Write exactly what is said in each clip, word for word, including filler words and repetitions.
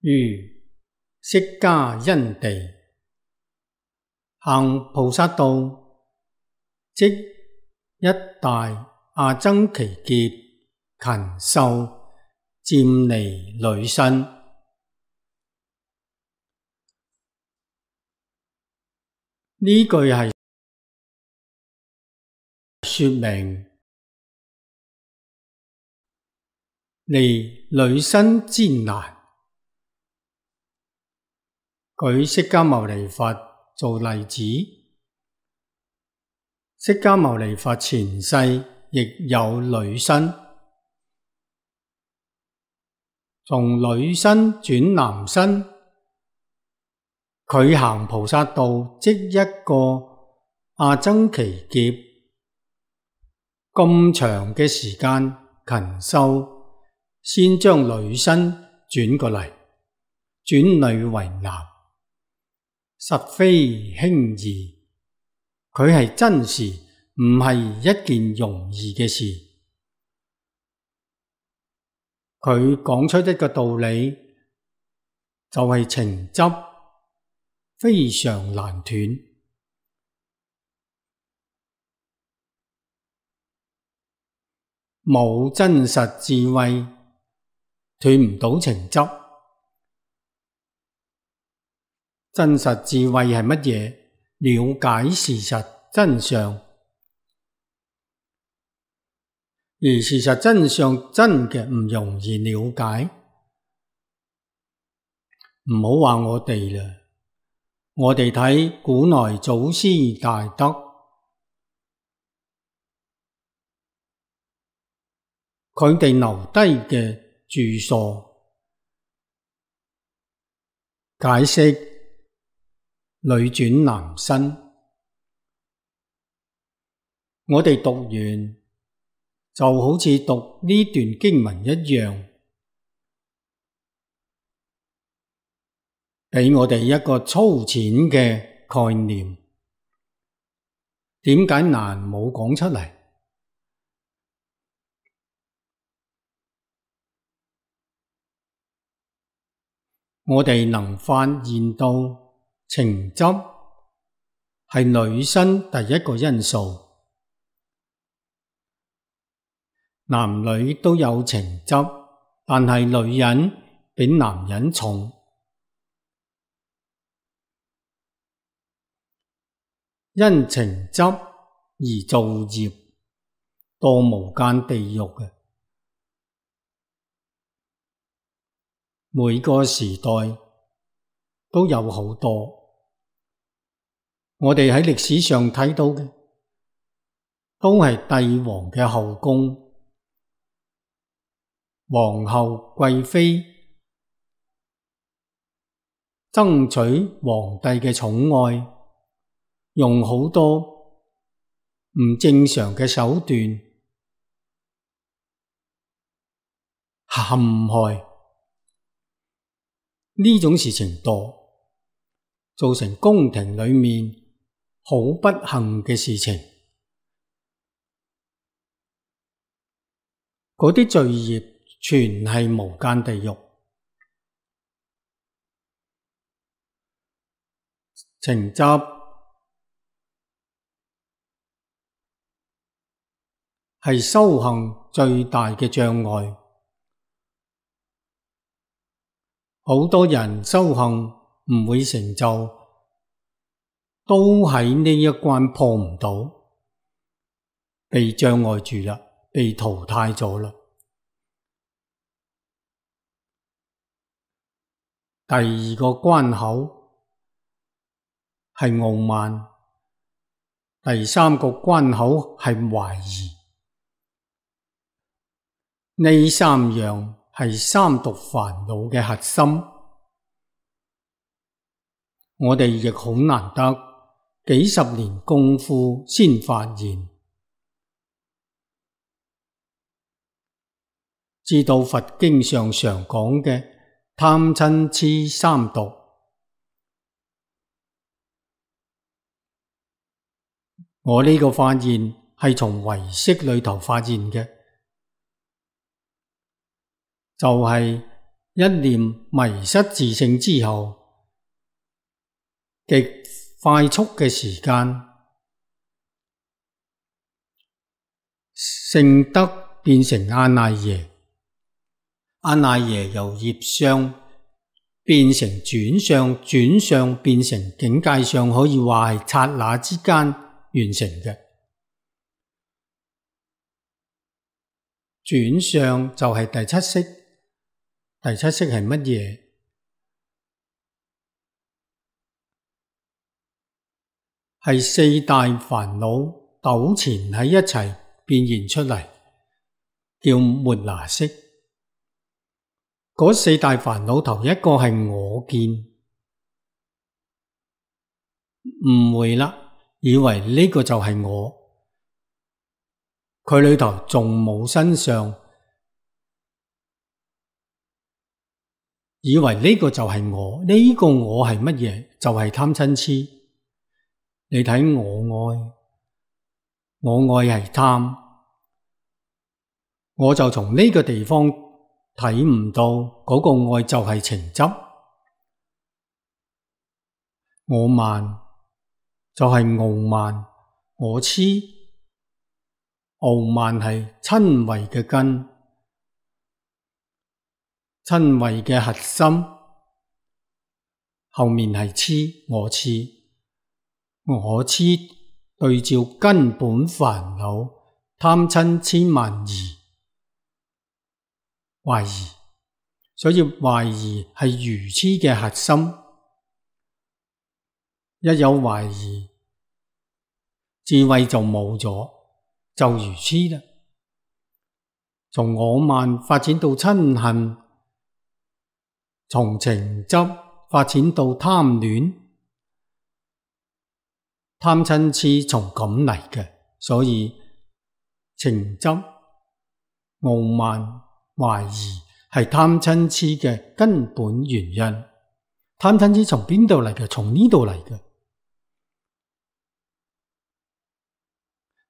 如釋迦因地，行菩薩道，即一大阿僧祇劫勤修，漸離女身。呢句係說明離女身之難。舉釋迦牟尼佛做例子，釋迦牟尼佛前世亦有女身，從女身轉男身，佢行菩薩道即一個阿僧祇劫，咁長嘅時間勤修，先將女身轉過嚟，轉女為男，實非輕易。佢係真事，唔係一件容易嘅事。佢講出一個道理，就係情執非常難斷。冇真實智慧，斷唔到情執。真實智慧係乜嘢？了解事實真相。而事實真相真嘅唔容易了解。唔好話我哋啦，我哋睇古來祖師大德，佢哋留低嘅著述，解釋女轉男身，我哋讀完就好似讀呢段經文一樣，俾我哋一個粗淺嘅概念。點解難冇講出嚟？我哋能發現到情執係女身第一個因素，男女都有情執，但係女人比男人重。因情執而造業，墮無間地獄嘅。每個時代都有好多。我哋喺歷史上睇到嘅，都係帝王嘅後宮，皇后貴妃爭取皇帝嘅寵愛，用好多唔正常嘅手段陷害。呢種事情多，造成宮廷裏面好不幸嘅事情。嗰啲罪業全係無間地獄。情執係修行最大嘅障礙。好多人修行唔會成就，都喺呢一關破唔到，被障礙住啦，被淘汰咗啦。第二個關口係傲慢，第三個關口係懷疑。呢三樣係三毒煩惱嘅核心，我哋亦好難得幾十年功夫先發現，知道佛經上常講嘅貪嗔癡三毒。我呢個發現係從唯識裏頭發現嘅。就係一念迷失自性之後，極快速嘅時間，聖德變成阿賴耶，阿賴耶由業相變成轉相，轉相變成境界相，可以話係剎那之間完成嘅。轉相就係第七識，第七識係乜嘢？係四大煩惱糾纏喺一齊變現出嚟，叫末那識。嗰四大煩惱頭一個係我見，誤會啦，以為呢個就係我，佢裏頭仲冇身相，以為呢個就係我，呢個我係乜嘢？就係貪嗔癡。你睇我愛，我愛係貪，我就從呢個地方睇唔到嗰個愛就係情執。我慢就係傲慢，我痴，傲慢係瞋恚嘅根，瞋恚嘅核心，後面係痴，我痴。我痴對照根本煩惱貪嗔癡慢疑，懷疑，所以懷疑係愚痴嘅核心。一有懷疑，智慧就冇咗，就愚痴啦。從我慢發展到嗔恨，從情執發展到貪戀。貪嗔癡從咁嚟嘅，所以情執、傲慢、懷疑係貪嗔癡嘅根本原因。貪嗔癡從邊度嚟嘅？從呢度嚟嘅。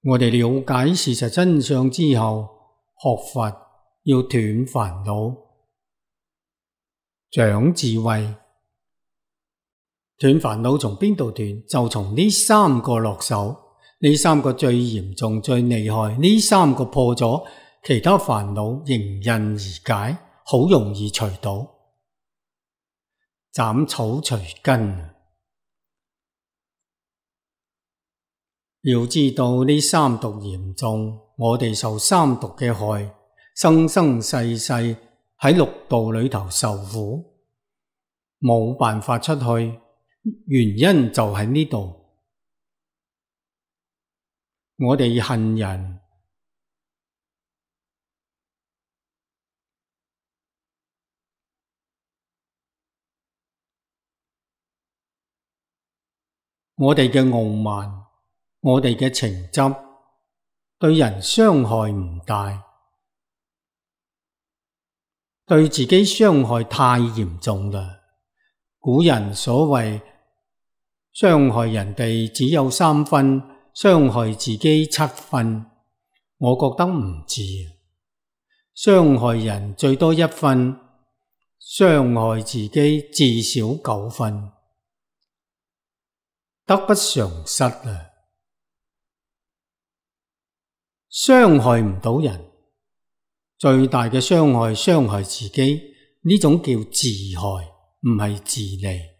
我哋了解事實真相之後，學佛要斷煩惱、長智慧。斷煩惱從邊度斷？就從呢三個落手，呢三個最嚴重、最厲害，呢三個破咗，其他煩惱迎刃而解，好容易除到。斬草除根。要知道呢三毒嚴重，我哋受三毒嘅害，生生世世喺六道裏頭受苦，冇辦法出去。原因就喺呢度，我哋恨人，我哋嘅傲慢，我哋嘅情執，對人傷害唔大，對自己傷害太嚴重啦。古人所謂傷害人哋只有三分，傷害自己七分，我覺得唔止。傷害人最多一分，傷害自己至少九分，得不償失啊！傷害唔到人，最大嘅傷害傷害自己，呢種叫自害，唔係自利。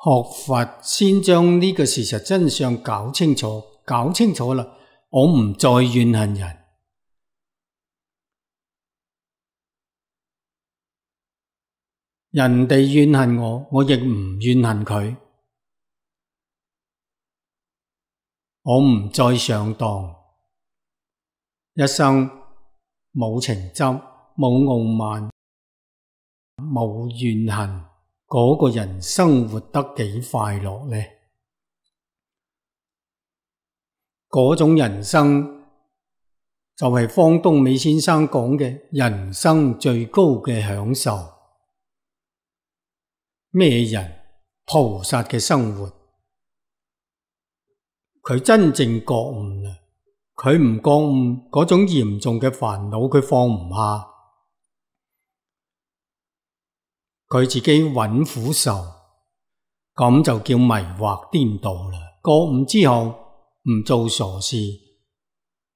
學佛先將呢個事實真相搞清楚，搞清楚啦，我唔再怨恨人。人哋怨恨我，我亦唔怨恨佢。我唔再上當，一生冇情執，冇傲慢，冇怨恨。嗰個人生活得幾快樂呢？嗰種人生就係方東美先生講嘅人生最高嘅享受。咩人？菩薩嘅生活，佢真正覺悟啦，佢唔覺悟嗰種嚴重嘅煩惱，佢放唔下，佢自己揾苦受，咁就叫迷惑顛倒啦。覺悟之後唔做傻事，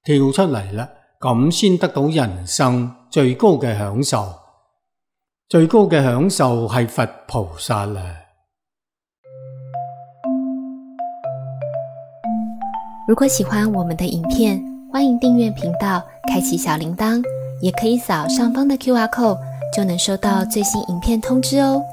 跳出嚟啦，咁先得到人生最高嘅享受。最高嘅享受係佛菩薩啦。如果喜歡我們的影片，歡迎訂閱頻道，開啟小鈴鐺，也可以掃上方的 Q R code，就能收到最新影片通知哦。